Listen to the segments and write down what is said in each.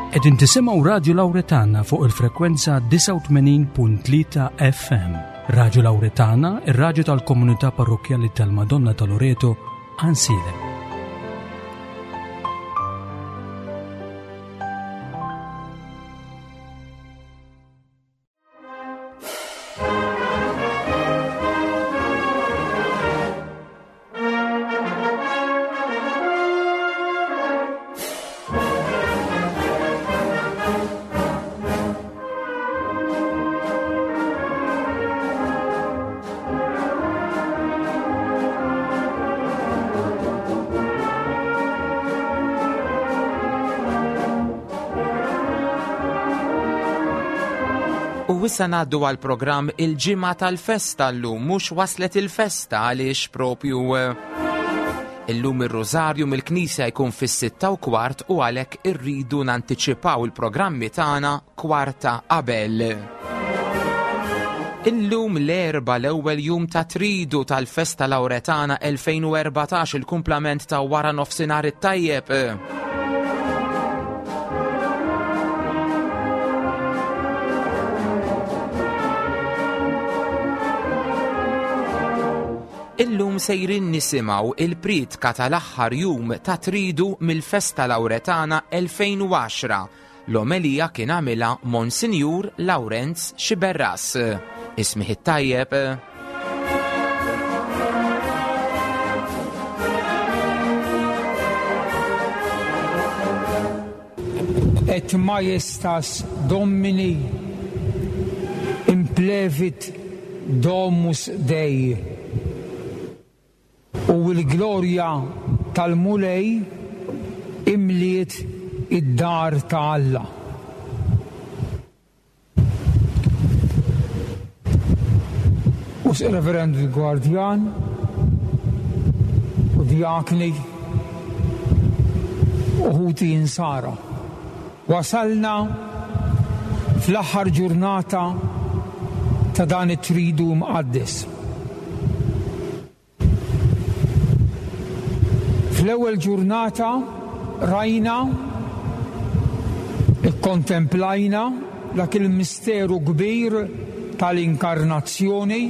Qegħdin tisimgħu Radju Lawretana fuq il-frekwenza 89.3 FM. Radju Lawretana, ir-radju tal-komunità parrokkjali tal-Madonna ta' Loreto, Ansilem. U issa ngħaddu għal programm il-ġimgħa tal-festa llum mhux waslet il-festa għaliex propju eh, illum ir-Rużarju mill-Knisja jkun fis-sitta u kwart u għalhekk irridu nantiċipaw il-programmi tagħna kwarta qabel. Illum l-erba l-ewwel jum ta' tridu tal-Festa Lawretana 2014 il-kumplament ta' wara nofsinhar it-tajjeb. Illum sejrin nisimgħu il-priedka tal-aħħar jum ta' tridu mill-Festa Lawretana 2010 L-omelija kien għamilha Monsinjur Lawrenz Sciberras. Ismih it-tajjeb. Et majestas Domini implevit domus Dei. U l-glorja tal-Mulej imliet id-dar ta' Alla. U Reverend Gwardjan u djakni u ħuti insara. Wasalna fl-aħħar ġurnata ta' dan it-Tridu Mqaddes. Fl-ewwel ġurnata rajna, ikkontemplajna dak il-misteru kbir tal-Inkarnazzjoni,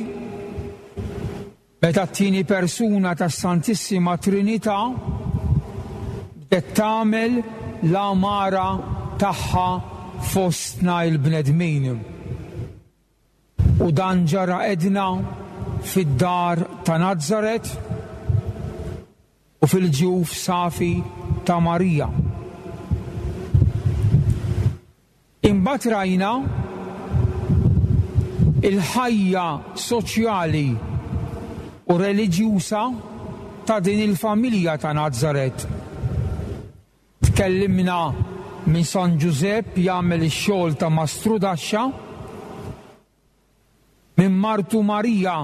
Meta t-tieni persuna tas-Santissima Trinità bdiet tagħmel l-għamara tagħha fostna l-bnedmin. U dan ġara għedna fid-dar ta' Nazaret u fil-ġuf safi ta' Marija. Imbagħad rajna l-ħajja soċjali u reliġjuża ta' din il-familja ta' Nazaret. Tkellimna minn San Ġużepp jagħmel ix-xogħol ta' mastrudaxxa, minn martu Marija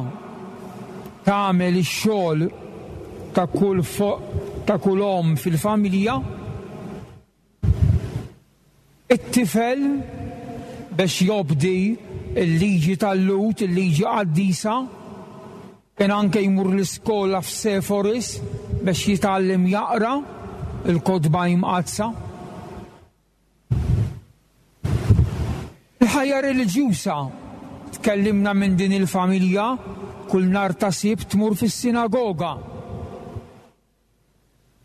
tagħmel ix-xogħol ta' kull ta' kull omm fil-familja, It-tifel, biex jobdi l-liġi tal-Lhud, il-liġi qaddisa, kien anke jmur l-iskola f'Seforis biex jitgħallem jaqra l-Kotba Imqaddsa. Il-ħajja reliġjuża, tkellimna minn din il-familja, kull nhar ta' Sibt tmur fis-sinagoga.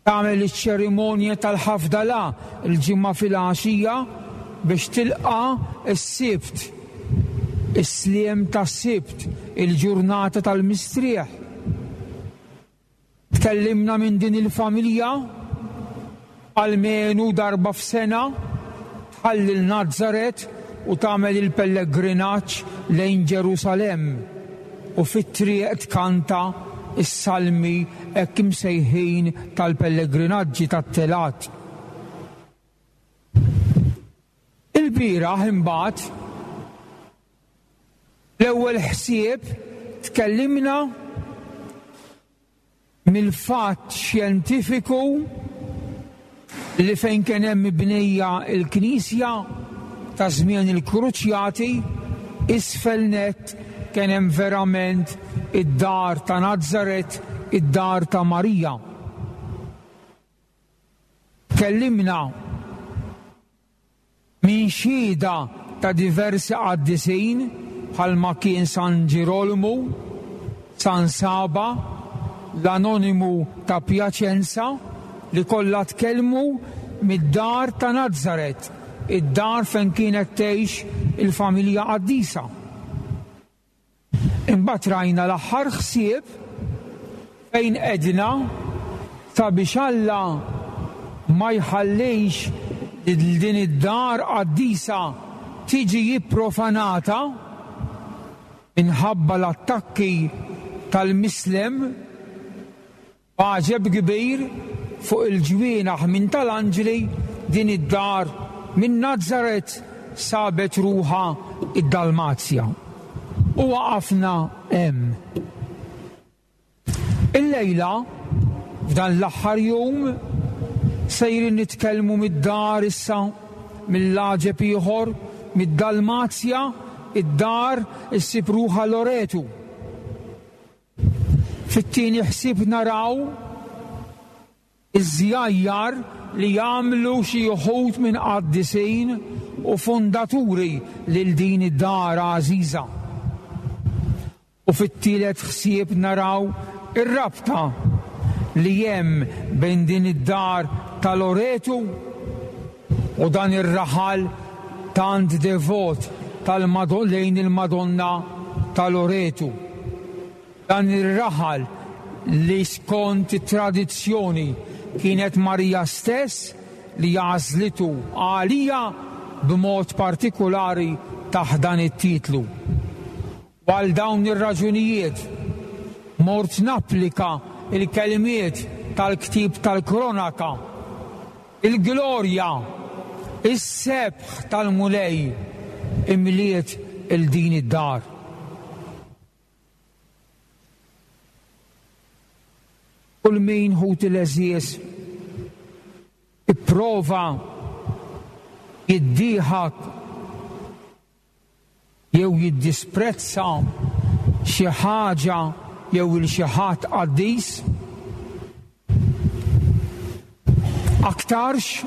Tagħmel iċ-ċerimonja tal-Ħafdala l-Ġimgħa filgħaxija biex tilqa' s-Sibt, is-sliem tas-Sibt, il-ġurnata tal-mistrieħ. Tkellimna minn din il-familja almenu darba f'sena tħalli l-Nazaret u tagħmel il-pellegrinaġġ lejn Ġerusalemm u fit-triq tkanta s-salmi hekk imsejħin tal-pellegrinaġġi tat-telgħat. Ilbieraħ imbagħad l-ewwel ħsieb tkellimna mill-fatt xjentifiku li fejn kien hemm mibnija l-knisja ta' żmien il-Kruċjati, isfel nett kien hemm verament id-dar ta' Nazaret, id-dar ta' Marija. Tkellimna. Minn xhieda ta' diversi qaddisin bħalma kien San Ġirolmu, San Saba, l-Anonimu ta' Piacenza li kollha tkellmu mid-dar ta' Nazaret, id-dar fejn kienet tgħix il-familja qaddisa. Imbagħad rajna l-aħħar ħsieb fejn għedna sabiex Alla ma jħallix lil din id-dar qaddisa tiġi pprofanata minħabba l-attakki tal-mislem, B'għaġeb kbir, fuq il-ġwienaħ minn tal-anġli, din id-dar minn Nazaret sabet ruħha id-Dalmazja. U waqafna hemm. Illejla, f'dan l-aħħar jum, sejrin nitkellmu mid-dar issa, mill-għaġeb ieħor, mid-Dalmazja, id-dar issib ruħha Loretu. Fit-tieni ħsieb naraw iż-żjajjar li jagħmlu xi uħud minn qaddisin u fundaturi lil din id-dar għażiża. U fit-tielet ħsieb naraw ir-rabta li hemm bejn din id-dar ta' Loretu u dan ir-raħal tant devot lejn il-Madonna ta' Loretu. Dan ir-raħal li skont it-tradizzjoni kienet Marija stess li għażlitu għaliha b'mod partikulari taħt dan it-titlu. U għal dawn ir-raġunijiet mort napplika l-kelmiet tal-ktieb tal-Kronaka, Il-glorja, is-sebħ tal-Mulej imliet 'il din id-dar. Kull min, ħuti l-għeżież, ipprova jiddieħak jew jiddisprezza xi ħaġa jew 'il xi ħadd qaddis? Aktarx,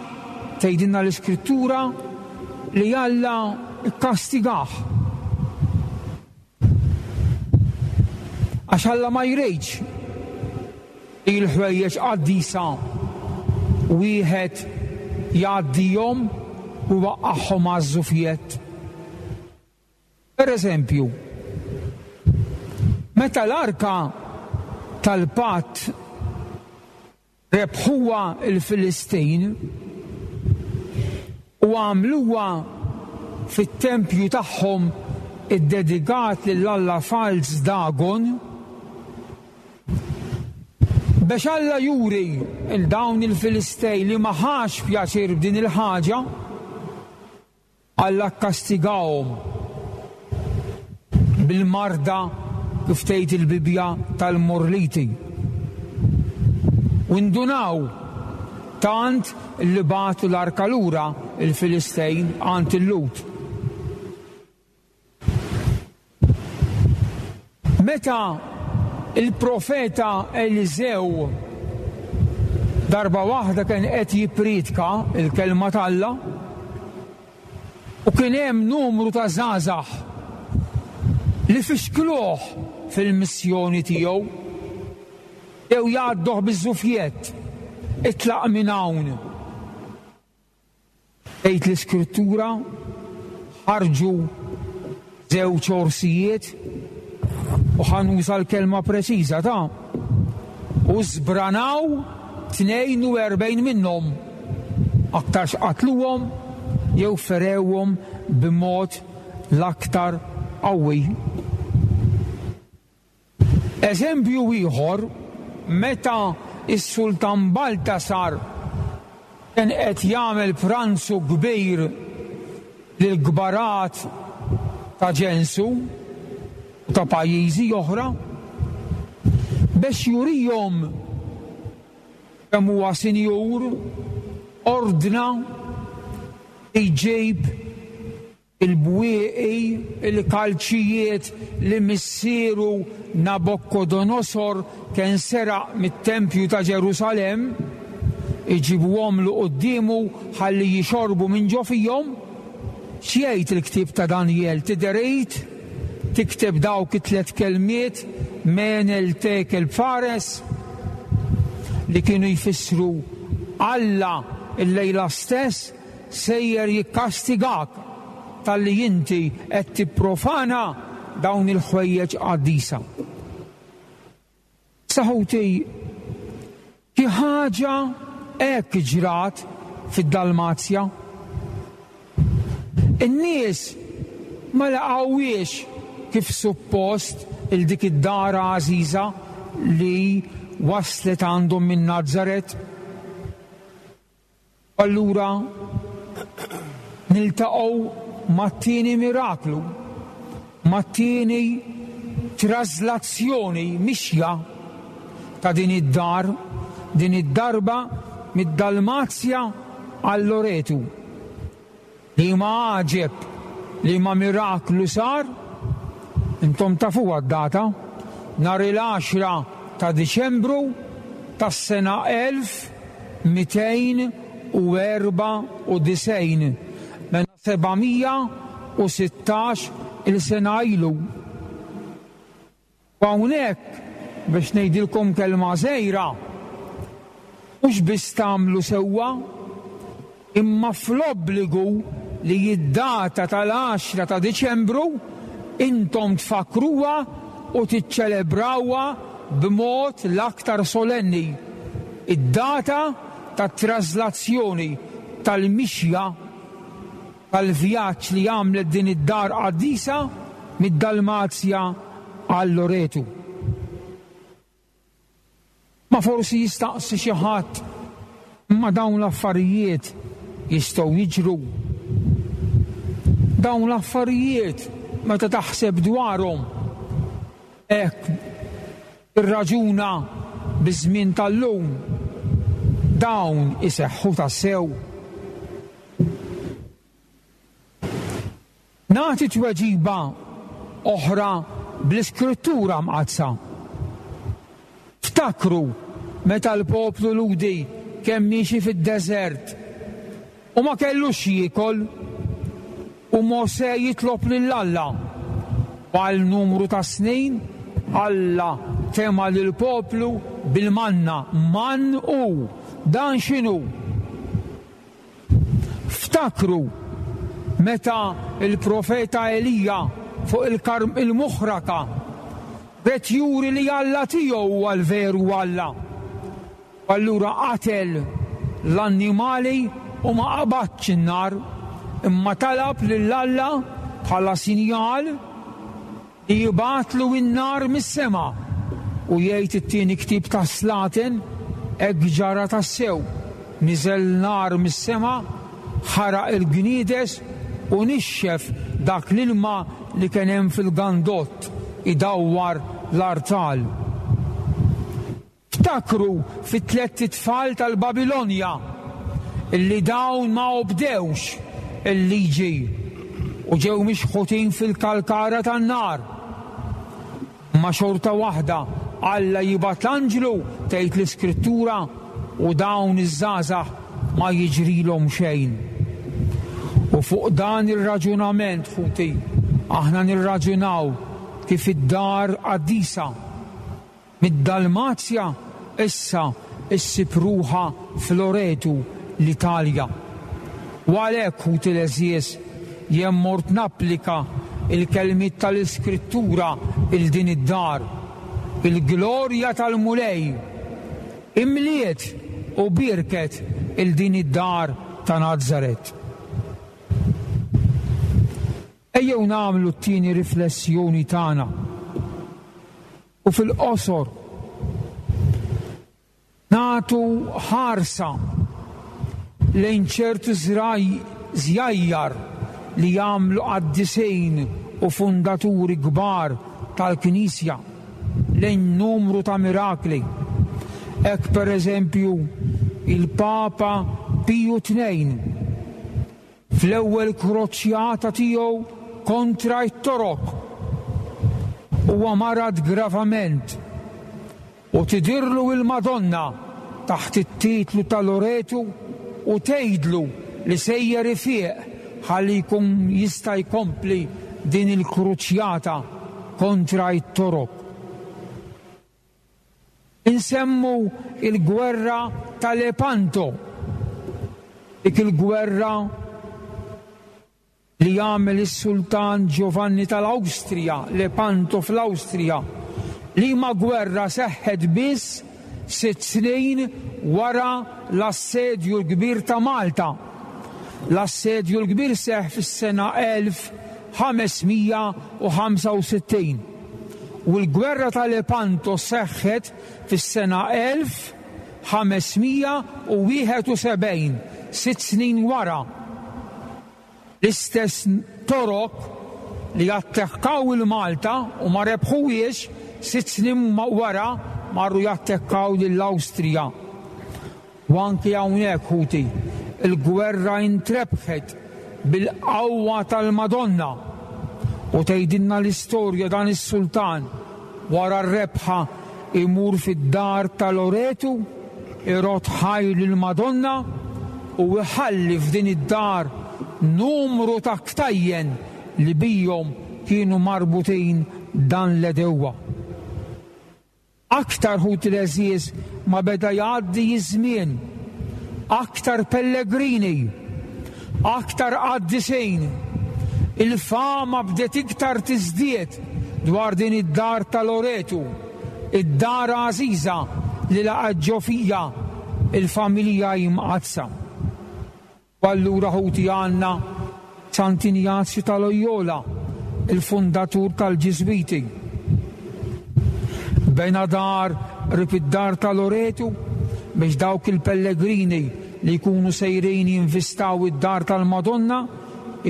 tgħidilna l-Iskrittura, li Alla kkastigah. Għax Alla ma jridx li l-ħwejjeġ qaddisa wieħed jgħaddihom u jwaqqagħhom għaż-żufjett. Per eżempju, meta l-arka tal-patt Rebħuha l-Filistin u għamluha fit-tempju tagħhom iddedikat lill-alla falz Dagon. Bex Alla juri 'l dawn il-Filistej li ma ħax pjaċir b'din il-ħaġa, Alla kkastigahom bil-marda, kif tgħid il-Bibbja, tal-morliti. U ndunaw tant li bagħtu l-arka lura l-Filistejn għand il-Lhud. Meta l-profeta Eliżew darba waħda kien qed jippriedka l-kelma t'Alla u kien hemm numru ta' żgħażagħ li fixkluh fil-missjoni tiegħu, bdew jgħadduh biż-żufjett, Itlaq minn hawn! Tgħid l-Iskrittura, ħarġu żewġ orsijiet, u ħa nuża l-kelma preċiża ta', u żbranaw 42 minnhom, aktarx qatluhom jew ferewhom b'mod l-aktar qawwi. Eżempju ieħor, meta s-Sultan Baltasar kien qed jagħmel pranzu kbir lill-kbarat ta' ġensu u ta' pajjiżi oħra, bex jurihom kemm huwa sinjur, ordna li jġib Il-bwieqi, il-kalċijiet li missieru Nabokkodonosor kien seraq mit-tempju ta' Ġerusalemm, iġibuhomlu quddiemu ħalli jixorbu minn ġo fihom. X'jgħid il-ktieb ta' Danjel? Tidher id tikteb dawk it-tlett kelmiet Menel Tekel Fares li kienu jfissru Alla illejla stess sejjer jikkastigak talli inti qed tipprofana dawn il-ħwejjeġ qaddisa. Issa ħuti, xi ħaġa hekk ġrat fid-Dalmazja. In-nies ma laqgħuhiex kif suppost 'il dik id-dar għażiża li waslet għandhom minn Nazaret. Allura niltaqgħu mat-tieni miraklu, mat-tieni trażlazzjoni, mixja, ta' din id-dar, din id-darba mid-Dalmazja għal Loretu. Liema għaġeb, liema miraklu sar? Intom tafuha d-data, nhar il-għaxra ta' Diċembru tas-sena 1294, mela 716 il sena ilu. U hawnhekk, biex ngħidilkom kelma żgħira, mhux biss tagħmlu sewwa, imma fl-obbligu li d-data tal-għaxra ta' Diċembru intom tfakkruha u tiċċelebrawha b'mod l-aktar solenni, id-data tat-trażlazzjoni tal-mixja tal-vjaġġ li għamlet din id-dar qaddisa mid-Dalmazja għal Loretu. Ma forsi jistaqsi xi ħadd, imma dawn l-affarijiet jistgħu jiġru? Dawn l-affarijiet meta taħseb dwarhom hekk tirraġuna biż-żmien tal-lum, dawn iseħħu tassew? Nagħti tweġiba oħra bl-Iskrittura Mqaddsa. Ftakru meta l-poplu Lhudi kien miexi fid-deżert u ma kellux x'jiekol u Mosè jitlob lil Alla. U għal numru ta' snin Alla tema' lill-poplu bil-manna. Mann hu. Dan x'inhu? Ftakru meta l-profeta Elija fuq il-muħraka ried juri li Alla tiegħu huwa l-veru Alla. U allura qatel l-annimali u ma qabadx in-nar, imma talab lil Alla bħala sinjal Li jibgħatlu n-nar mis-sema. U jgħid it-tieni ktieb tas-Slaten, hekk ġara tassew, niżel nar mis-sema, ħaraq il-gniedes u nixxef dak l-ilma li kien hemm fil-gandott idawwar l-artal. Ftakru fit-tlett itfal tal-Babilonja, illi dawn ma obdewx il-liġi u ġew mixħutin fil-kalkara tan-nar. Imma xorta waħda Alla jibgħat l-anġlu, tgħid l-Iskrittura, u dawn iż-żgħażagħ ma jiġrilhom xejn. U fuq dan ir-raġunament, ħuti, aħna nirraġunaw kif id-dar qaddisa, Mid-Dalmazja issa ssib ruħha f'Loretu, l-Italja. U għalhekk, ħuti l-għeżież, jien mort napplika l-kelmiet tal-Iskrittura 'l din id-dar. Il-glorja tal-Mulej imliet u bierket 'il din id-dar ta' Nazaret. Ejjew nagħmlu t-tieni riflessjoni tagħna. U fil-qosor, nagħtu ħarsa lejn ċertu żjajjar li jagħmlu qaddisin u fundaturi kbar tal-Knisja lejn numru ta' mirakli. Hekk pereżempju il-Papa Piju Tnejn Fl-ewwel kroċjata tiegħu kontra t-Torok, huwa marad gravament u tidhirlu il-Madonna taħt it-titlu ta' Loretu u tgħidlu li sejjer ifieq ħalli jkun jista' jkompli din il-kruċjata kontra t-Torok. Insemmu l-gwerra ta' Lepanto, dik il-gwerra li għamel is-Sultan Giovanni tal-Awstrija, Lepanto fl-Awstrija, liema gwerra seħħet biss sitt snin wara l-Assedju l-Kbir ta' Malta. L-Assedju l-Kbir seħħ fis-sena 1565 u l-gwerra ta' Lepanto seħħet fis-sena 1571, sitt snin wara. L-istess Torok li attekkaw 'il Malta u ma rebħuhiex, sitt snin wara marru jattekkaw lill-Awstrija. U anki hawnhekk, ħuti, il-gwerra intrebħet bil-qawwa tal-Madonna. U tgħidilna l-istorja dan is-sultan wara r-rebħa imur fid-dar ta' Loretu, irodd ħajr lill-Madonna u iħalli f'din id-dar numru ta' ktajjen li bihom kienu marbutin dan l-għedewwa. Aktar, ħuti l-għeżież, ma beda jgħaddi ż-żmien, aktar pellegrini, aktar qaddisin, il-fama bdiet iktar tiżdied dwar din id-dar ta' Loretu, id-dar għażiża li laqgħet ġo fija l-familja Imqaddsa. U allura ħuti għandna Sant'Injazju ta' Loyola, il-fundatur tal-Ġiżwiti. Bena dar qrib id-dar ta' Loretu biex dawk il-pellegrini li jkunu sejrin jinvistaw id-dar tal-Madonna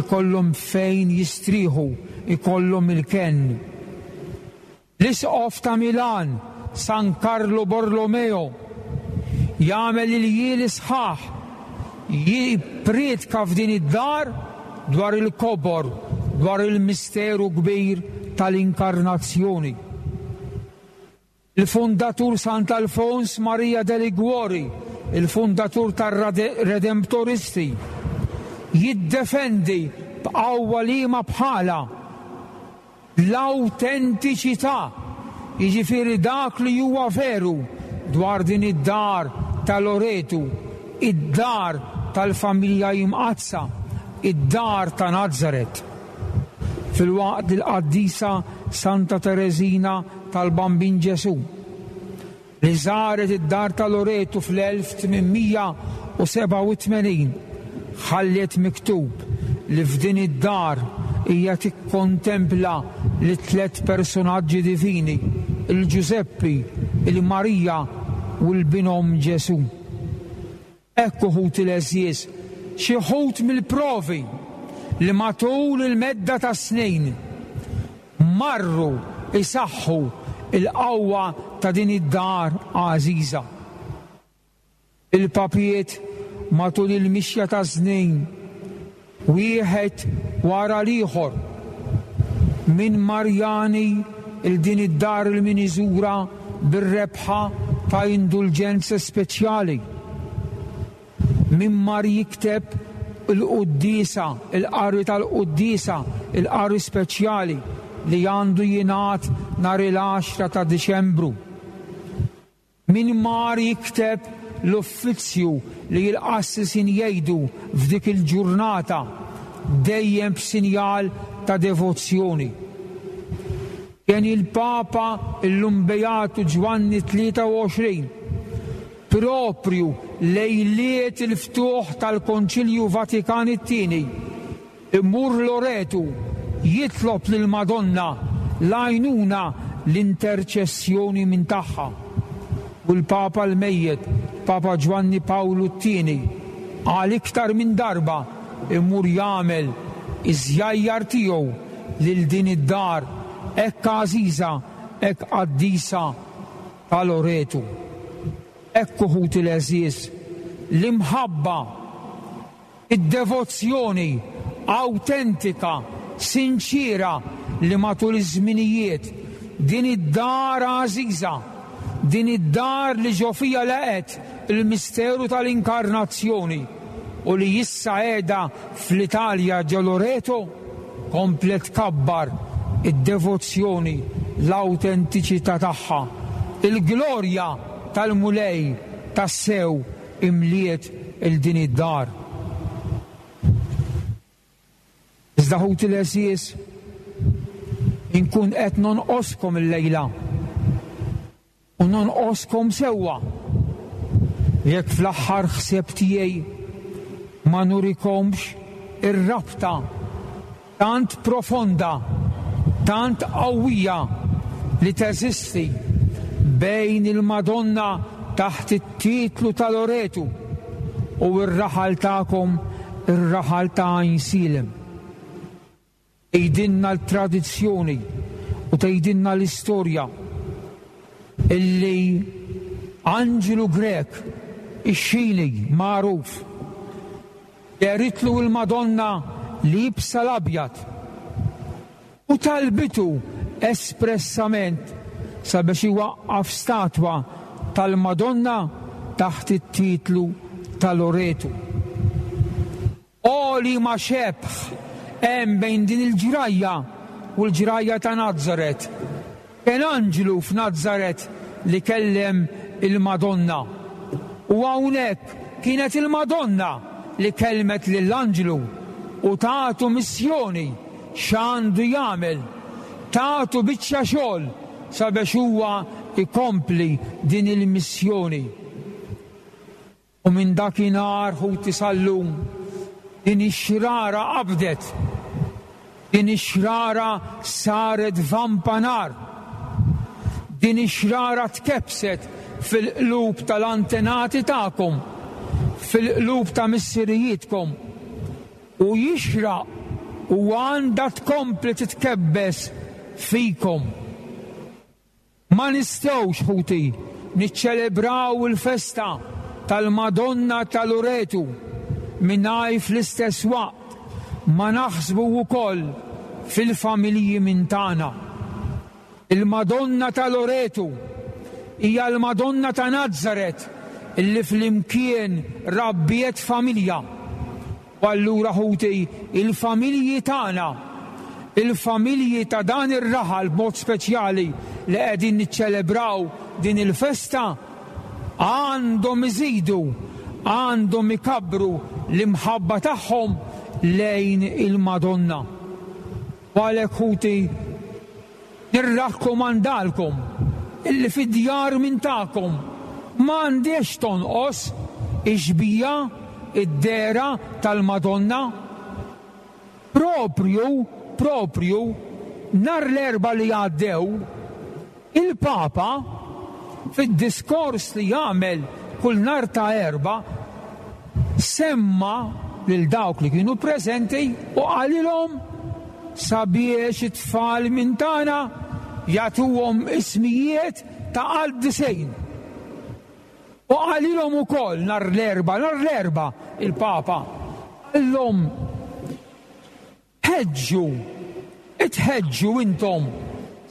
ikollhom fejn jistrieħu, ikollhom il-kenn. L-Isqof ta' Milan, San Carlo Borromeo, jagħmel iljieli sħaħ jippriedka f'din id-dar dwar il-kobor, dwar il-misteru kbir tal-Inkarnazzjoni. Il-fundatur Sant'Alfons Maria de Liguori, il-fundatur tar-Redemptoristi, jiddefendi b'qawwa liema bħalha L-awtentiċità, jiġifieri dak li huwa veru dwar din id-dar ta' Loretu, id-dar tal-Familja Imqaddsa, id-dar ta' Nazaret. Filwaqt li l-qaddisa Santa Tereżina tal-Bambin Ġesù, li żaret id-Dar ta' Loretu fl-1887, ħalliet miktub li f'din id-dar hija tikkontempla lit-tlett persunaġġi divini, il-Ġużeppi, il-Marija u l-Binhom Ġesù. Hekk uħud il-għeżież, xi wħud mill-provi li matul il-medda tas-snin marru jsaħħu l-qawwa ta' din id-dar għażiża. Il-papiet matul il-mixja taż-żnien wieħed wara l-ieħor, minn Marjani 'l din id-dar 'il min iżurha bir-rebħa ta' indulġenza speċjali, min mar jikteb il-quddiesa, il-qari tal-quddiesa, il-qari speċjali li għandu jingħad nhar il-għaxra ta' Diċembru. Min mar jikteb l-uffizzju li l-qassisin jgħidu f'dik il-ġurnata, dejjem b'sinjal ta' devozzjoni. Kien il-Papa illum Beatu Ġwanni 23, proprju lejliet il-ftuħ tal-Konċilju Vatikan it-Tieni, Imur Loretu jitlob lill-Madonna l-għajnuna l-interċessjoni minn tagħha. U l-Papa l-mejjet, Papa Ġwanni Pawlu t-Tieni, għal iktar minn darba imur jagħmel iż-żjajjar tiegħu lil din id-dar hekk għażiża, hekk qaddisa ta' Loretu. Hekk ħuti l-għeżież, l-imħabba Id-devozzjoni awtentika, sinċiera li matul iż-żminijiet din id-dar għażiża, din id-dar li ġo fiha laqgħet il-misteru tal-Inkarnazzjoni. u li issa qiegħda fl-Italja ġo Loreto, komplet tkabbar id-devozzjoni, l-awtentiċità tagħha. Il-glorja tal-Mulej tassew imliet 'il din id-dar. Iżda ħuti l-għeżież, inkun qed nonqoskom illejla u nonqoskom sewwa jekk fl-aħħar ħsieb tiegħi ma nurikomx ir-rabta tant profonda, tant qawwija li teżisti bejn il-Madonna taħt it-titlu ta' Loretu u r-raħal tagħkom, ir-raħal ta' Għajnsielem. Tgħidilna l-tradizzjoni u tgħidilna l-istorja illi anġlu Grek, ix-Xini magħruf, Dehritlu l-Madonna liebsa l-abjad u talbitu espressament sabiex iwaqqaf statwa tal-Madonna taħt it-titlu ta' Loretu. O liema xebh hemm bejn din il-ġrajja u l-ġrajja ta' Nazaret! Kien anġlu f'Nazaret li kellem il-Madonna. U hawnhekk kienet il-Madonna li kellmet lill-anġlu u tatu missjoni x'għandu jagħmel, tatu biċċa xogħol sabiex huwa jkompli din il-missjoni. U minn dakinhar, ħuti, sal-lum, din ix-xrara qabdet, din ix-xrara saret vampa nar, din ix-xrara tkebbset fil-qlub tal-antenati tagħkom, fil-qlub ta' missirijietkom, u jixraq u għandha tkompli titkebbes fikom. Ma nistgħux, ħuti, niċċelebraw il-festa tal-Madonna ta' Loretu mingħajr fl-istess waqt ma naħsbu wkoll fil-familji minn tagħna. Il-Madonna ta' Loretu hija l-Madonna ta' Nazaret illi flimkien rabbiet familja. U allura ħuti, il-familji tagħna, il-familji ta' dan ir-raħal b'mod speċjali li qegħdin niċċelebraw din il-festa, għandhom iżidu, għandhom ikabbru l-imħabba tagħhom lejn il-Madonna. U għalhekk ħuti, nirrakkomandalkom illi fid-djar minn tagħkom ma għandhiex tonqos ix-xbieha, id-dehra tal-Madonna. Proprju, proprju, nhar l-Erbgħa li għaddew, Il-Papa, fid-diskors li jagħmel kull nhar ta' Erbgħa, semma lil dawk li kienu preżenti u qalilhom sabiex it-tfal minn tagħna jagħtuhom ismijiet ta' qaddisejn. U qalilhom ukoll nhar l-Erbgħa, nhar l-Erbgħa, il-Papa qallhom, Ħeġġu, itħeġġu intom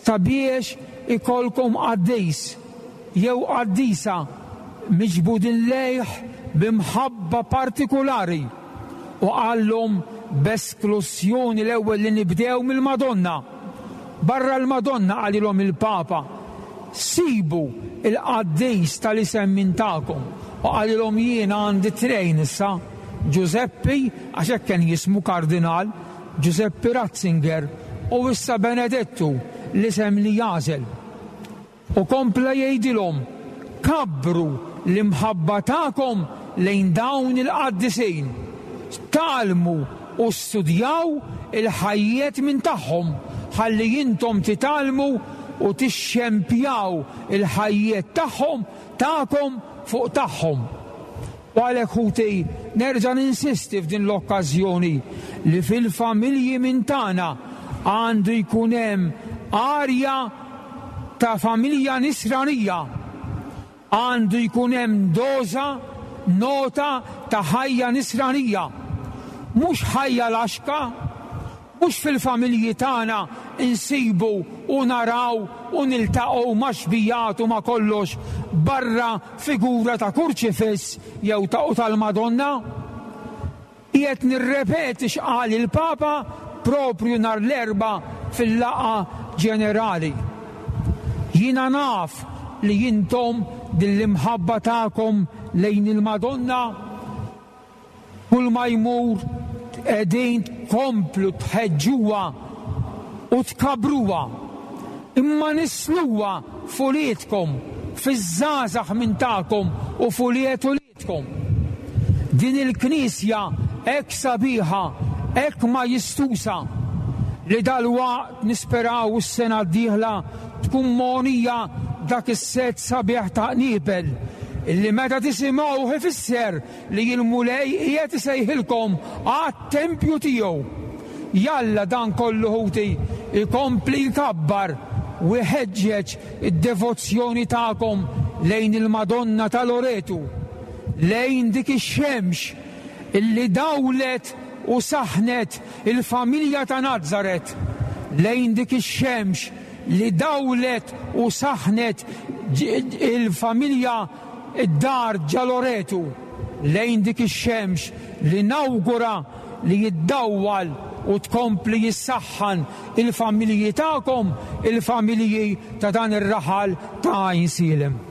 sabiex ikollkom qaddis jew qaddisa miġbudin lejh bi mħabba partikulari, u qallhom b'esklussjoni l-ewwel li nibdew mill-Madonna. Barra l-Madonna, qalilhom il-Papa, sibu l-qaddis tal-isem minn tagħkom. U qalilhom jiena għandi trejn issa. Ġużeppi, għax hekk kien jismu Kardinal, Ġużeppi Ratzinger, u issa Benedettu, l-isem li jagħżel. U kompla jgħidilhom, Kabbru l-imħabba tagħkom lejn dawn il-qaddisin. Tgħallmu u studjaw il-ħajjiet minn tagħhom ħalli intom titgħallmu u tixxempjaw il-ħajjiet tagħhom tagħkom fuq tagħhom. U għalhekk ħuti, nerġa' ninsisti f'din l-okkażjoni li fil-familji minn tagħna għandu jkun hemm arja ta' familja nisranija. Għandu jkun hemm doża, nota ta' ħajja nisranija. Mhux ħajja laxka, Mhux fil-familji tagħna nsibu u naraw u niltaqgħu ma' xbijat u ma' kollox barra figura ta' kurċifiss jew ta' u tal-Madonna. Qiegħed nirrepeti x'qal il-Papa proprju nhar l-Erbgħa fil-laqgħa ġenerali. Jiena naf li intom din l-imħabba tagħkom lejn il-Madonna kull ma jmur qegħdin tkomplu tħeġġuha u tkabbruha, imma nissluha f'uliedkom, fiż-żgħażagħ minn tagħkom u f'ulied uliedkom. Din il-knisja hekk sabiħa, hekk majestuża, li dalwaqt nisperaw is-sena d-dieħla tkun mogħnija b'dak is-sett sabiħ ta' qniepel, illi meta tisimgħuh ifisser li l-Mulej qiegħed isejħilkom għat-tempju tiegħu. Jalla dan kollu ħuti jkompli jkabbar u jħeġġeġ id-devozzjoni tagħkom lejn il-Madonna ta' Loretu, lejn dik ix-xemx illi dawlet u saħħnet il-familja ta' Nazaret, lejn dik ix-xemx li dawlet u saħħnet il-familja id-dar ġa Loretu, lejn dik ix-xemx li nawgura li jiddawwal u tkompli jissaħħan il-familji tagħkom, il-familji ta' dan ir-raħal ta' Għajnsielem.